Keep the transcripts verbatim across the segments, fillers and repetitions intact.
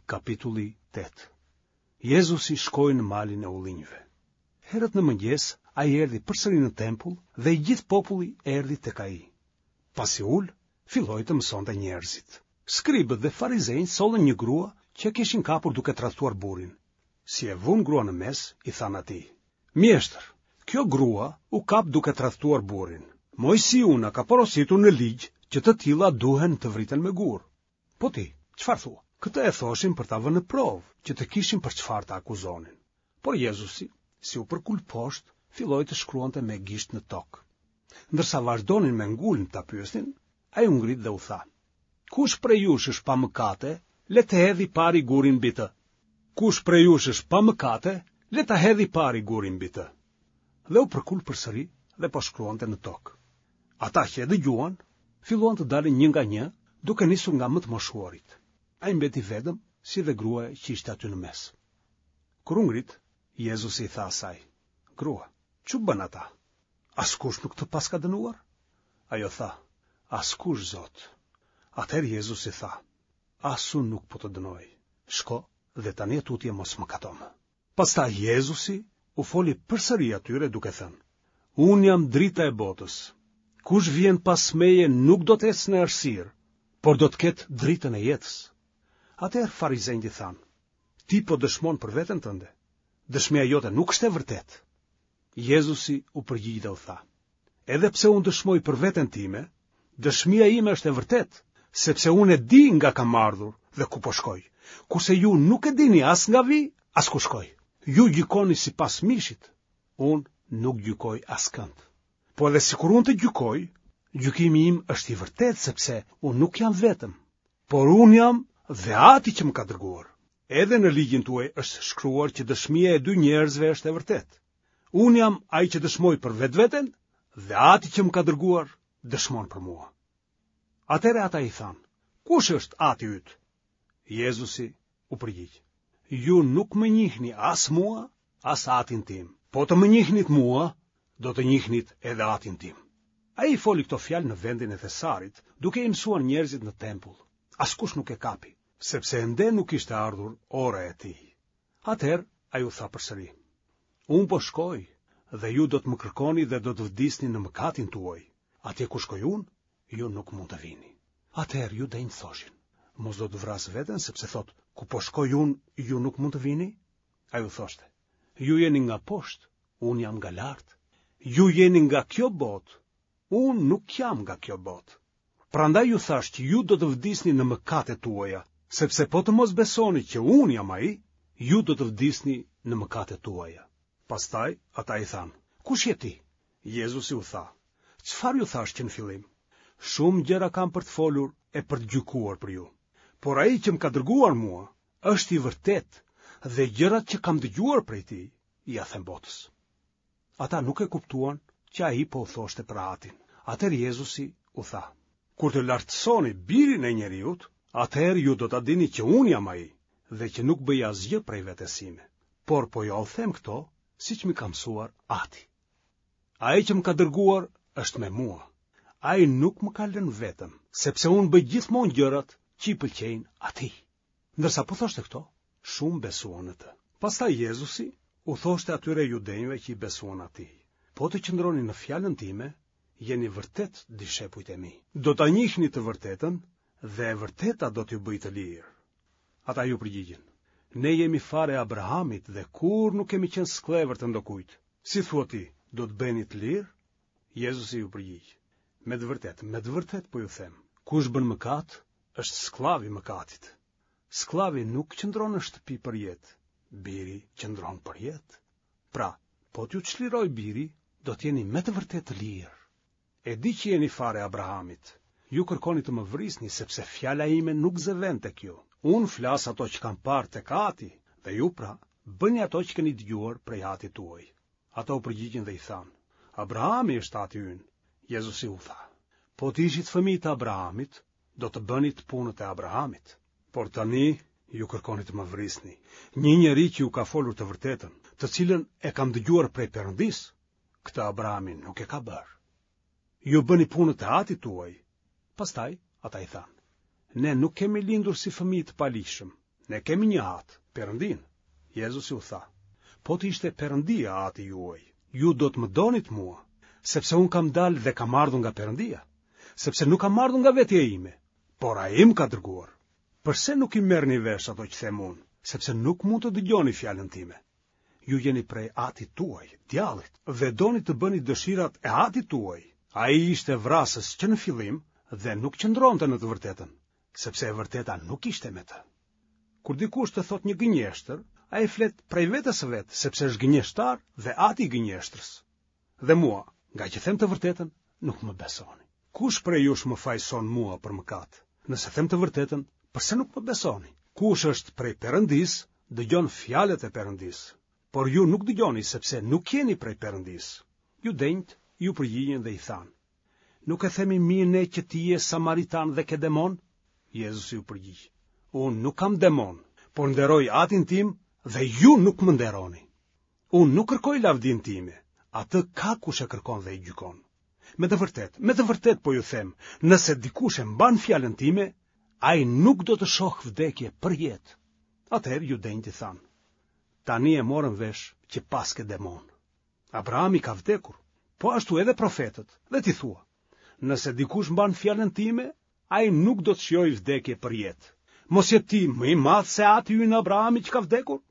Kapitulli tetë. Jezusi shkoi në malin e ullinjve. Herët në mëngjes, ai erdhi përsëri në tempull dhe i gjithë populli erdhi tek ai. Pasi u ul, filloi të mësonte njerëzit. Skribët dhe farizenjtë sollën një grua që e kishin kapur duke tradhtuar burrin. Si e vunë gruan në mes, i thanë atij: Mjeshtër, kjo grua u kap duke tradhtuar burrin. Moisiu na ka porositur në ligj që të tilla duhen të vriten me gurë. Po ti, çfarë thua? Këtë e thoshin për ta vënë në provë, që të kishin për çfarë ta akuzonin. Por Jezusi, si u përkul poshtë, filloi të shkruante me gisht në tokë. Ndërsa vazhdonin me ngulm ta pyesnin, ai u ngrit dhe u tha: Kush prej jush është pa mëkate, le të hedhë i pari gurin mbi të. Kush prej jush është pa mëkate, le ta hedhë i pari gurin mbi të. Dhe u përkul përsëri dhe po shkruante në tokë. Ata që e dëgjuan, filluan të dalin një nga një, duke nisur nga më të moshuarit. Ai mbeti vetëm, si dhe gruaja që ishte aty në mes. Kur u ngrit, Jezusi i tha asaj: Grua, ç'u bënë ata? Askush nuk të paska dënuar? Ajo tha: Askush, Zot. Atëherë Jezusi tha: As unë nuk po të dënoj. Shko dhe tani e tutje mos mëkato më. Pastaj Jezusi u foli përsëri atyre duke thënë: Unë jam drita e botës. Kush vjen pas meje nuk do të ecë në errësirë, por do të ketë dritën e jetës. Atëherë farizenjtë i thanë: Ti po dëshmon për veten tënde. Dëshmia jote nuk është e vërtetë. Jezusi u përgjigj dhe u tha: Edhe pse unë dëshmoj për veten time, dëshmia ime është e vërtetë, sepse unë e di nga kam ardhur dhe ku po shkoj, kurse ju nuk e dini as nga vij, as ku shkoj. Ju gjykoni sipas mishit, unë nuk gjykoj askënd. Po edhe sikur unë të gjykoj, gjykimi im është i vërtetë sepse unë nuk jam vetëm, por unë jam dhe Ati që më ka dërguar. Edhe në ligjin tuaj është shkruar që dëshmia e dy njerëzve është e vërtetë. Unë jam ai që dëshmoj për vetveten dhe Ati që më ka dërguar dëshmon për mua. Atëherë ata i thanë: Kush është Ati yt? Jezusi u përgjigj: Ju nuk më njihni as mua, as Atin tim. Po të më njihnit mua, do të njihnit edhe Atin tim. Ai i foli këto fjalë në vendin e thesarit, duke i mësuar njerëzit në tempull. Askush nuk e kapi, sepse ende nuk ishte ardhur ora e tij. Atëherë ai u tha përsëri: Unë po shkoj dhe ju do të më kërkoni dhe do të vdisni në mëkatin tuaj. Atje ku shkoj unë, ju nuk mund të vini. Atëherë judenjtë thoshin: Mos do të vrasë veten, sepse thotë, ku po shkoj unë, ju nuk mund të vini? Ai u thoshte: Ju jeni nga poshtë, unë jam nga lart. Ju jeni nga kjo botë, unë nuk jam nga kjo botë. Prandaj ju thashë që ju do të vdisni në mëkatet tuaja, sepse po të mos besoni që unë jam ai, ju do të vdisni në mëkatet tuaja. Pastaj ata i thanë: Kush je ti? Jezusi u tha: Çfarë ju thashë që në fillim? Shumë gjëra kam për të folur e për të gjykuar për ju. Por ai që më ka dërguar mua është i vërtetë dhe gjërat që kam dëgjuar prej tij ia them botës. Ata nuk e kuptuan që ai po u thoshte për Atin. Atëherë Jezusi u tha: Kur të lartësoni birin e njeriut, atëherë ju do ta dini që unë jam ai dhe që nuk bëj asgjë prej vetes sime, por po jua them këto siç m'i ka mësuar Ati. Ai që më ka dërguar është me mua. Ai nuk më ka lënë vetëm, sepse unë bëj gjithmonë gjërat që i pëlqejnë atij. Ndërsa po thoshte këto, shumë besuan në të. Pastaj Jezusi u thoshte atyre judenjve që i besuan atij: Po të qëndroni në fjalën time, jeni vërtet dishepujt e mi. Do ta njihni të vërtetën dhe e vërteta do t'ju bëjë të lirë. Ata iu përgjigjën: Ne jemi fare e Abrahamit dhe kurrë nuk kemi qenë skllevër të ndokujt. Si thua ti, do të bëheni të lirë? Jezusi iu përgjigj: Me të vërtetë, me të vërtetë po ju them, kush bën mëkat, është skllav i mëkatit. Skllavi nuk qëndron në shtëpi për jetë, biri qëndron për jetë. Pra, po t'ju çliroj biri, do t'jeni me të vërtetë të lirë. E di që jeni fare Abrahamit. Ju kërkoni të më vrisni, sepse fjala ime nuk zë vend tek ju. Unë flas ato që kam parë tek Ati, dhe ju pra, bëni ato që keni dëgjuar prej Atit tuaj. Ata u përgjigjën dhe i thanë: Abrahami është Ati ynë. Jezusi u tha: Po të ishit fëmijë të Abrahamit, do të bënit punët e Abrahamit. Por tani ju kërkoni të më vrisni, një njeri që ju ka folur të vërtetën, të cilën e kam dëgjuar prej Perëndisë, këtë Abrahami nuk e ka bërë. Ju bëni punët e Atit tuaj. Pastaj ata i thanë: Ne nuk kemi lindur si fëmijë të paligjshëm, Ne kemi një atë, Perëndinë. Jezusi u tha, Po të ishte Perëndia ati juaj, ju do të më donit mua, sepse unë kam dalë dhe kam ardhur nga Perëndia, sepse nuk kam ardhur nga vetja ime, por ai më ka dërguar. Përse nuk i merrni vesh ato që them unë, sepse nuk mund të dëgjoni fjalën time? Ju jeni prej atit tuaj, djallit, dhe doni të bëni dëshirat e atit tuaj. Ai ishte vrasës që në fillim dhe nuk qëndronte në të vërtetën, sepse e vërteta nuk ishte me të. Kur dikush të thotë një gënjeshtër, ai flet prej vetes së vet, sepse është gënjeshtar dhe ati i gënjeshtrës. Dhe mua, ngaqë them të vërtetën, nuk më besoni. Kush prej jush më fajëson mua për mëkat? Nëse them të vërtetën, përse nuk më besoni? Kush është prej Perëndisë, dëgjon fjalët e Perëndisë. Por ju nuk dëgjoni sepse nuk jeni prej Perëndisë. Judenjtë iu përgjigjën dhe i thanë: Nuk e themi mirë ne që ti je samaritan dhe ke demon? Jezusi u përgjigj: Unë nuk kam demon, por nderoj atin tim dhe ju nuk më nderoni. Unë nuk kërkoj lavdinë time, atë ka kush e kërkon dhe e gjykon. Me të vërtetë, me të vërtetë po ju them, nëse dikush e mban fjalën time, ai nuk do të shohë vdekje përjetë. Atëherë judenjtë i thanë: Tani e morëm vesh që paske demon. Abrahami ka vdekur, po ashtu edhe profetët, dhe ti thua, nëse dikush mban fjalën time, ai nuk do të shijojë vdekje përjetë. Mos je ti më i madh se ati ynë Abrahami që ka vdekur?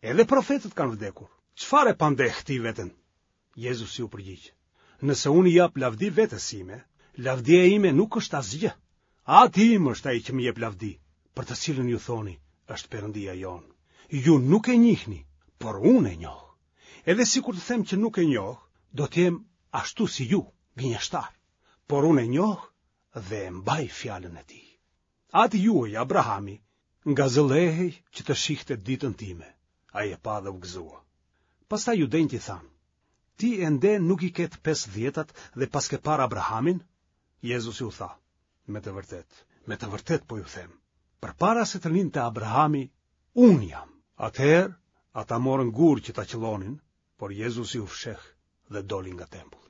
Edhe profetët kanë vdekur. Çfarë e pandeh ti veten? Jezusi u përgjigj: Nëse unë i jap lavdi vetes sime, lavdia ime nuk është asgjë. Ati im është ai që më jep lavdi, për të cilën ju thoni, është Perëndia jonë. Ju nuk e njihni, por unë e njoh. Edhe sikur të them që nuk e njoh, do të jem ashtu si ju, gënjeshtar. Por unë e njoh dhe e mbaj fjalën e tij. Ati juaj, Abrahami, ngazëllehej që të shihte ditën time. Ai e pa dhe u gëzua. Pastaj judenjtë i thanë: Ti ende nuk i ke të pesëdhjetat dhe paske parë Abrahamin? Jezusi u tha: Me të vërtetë, me të vërtetë po ju them, përpara se të lindte Abrahami, unë jam. Atëherë ata morën gurë që ta qëllonin, por Jezusi u fsheh dhe doli nga tempulli.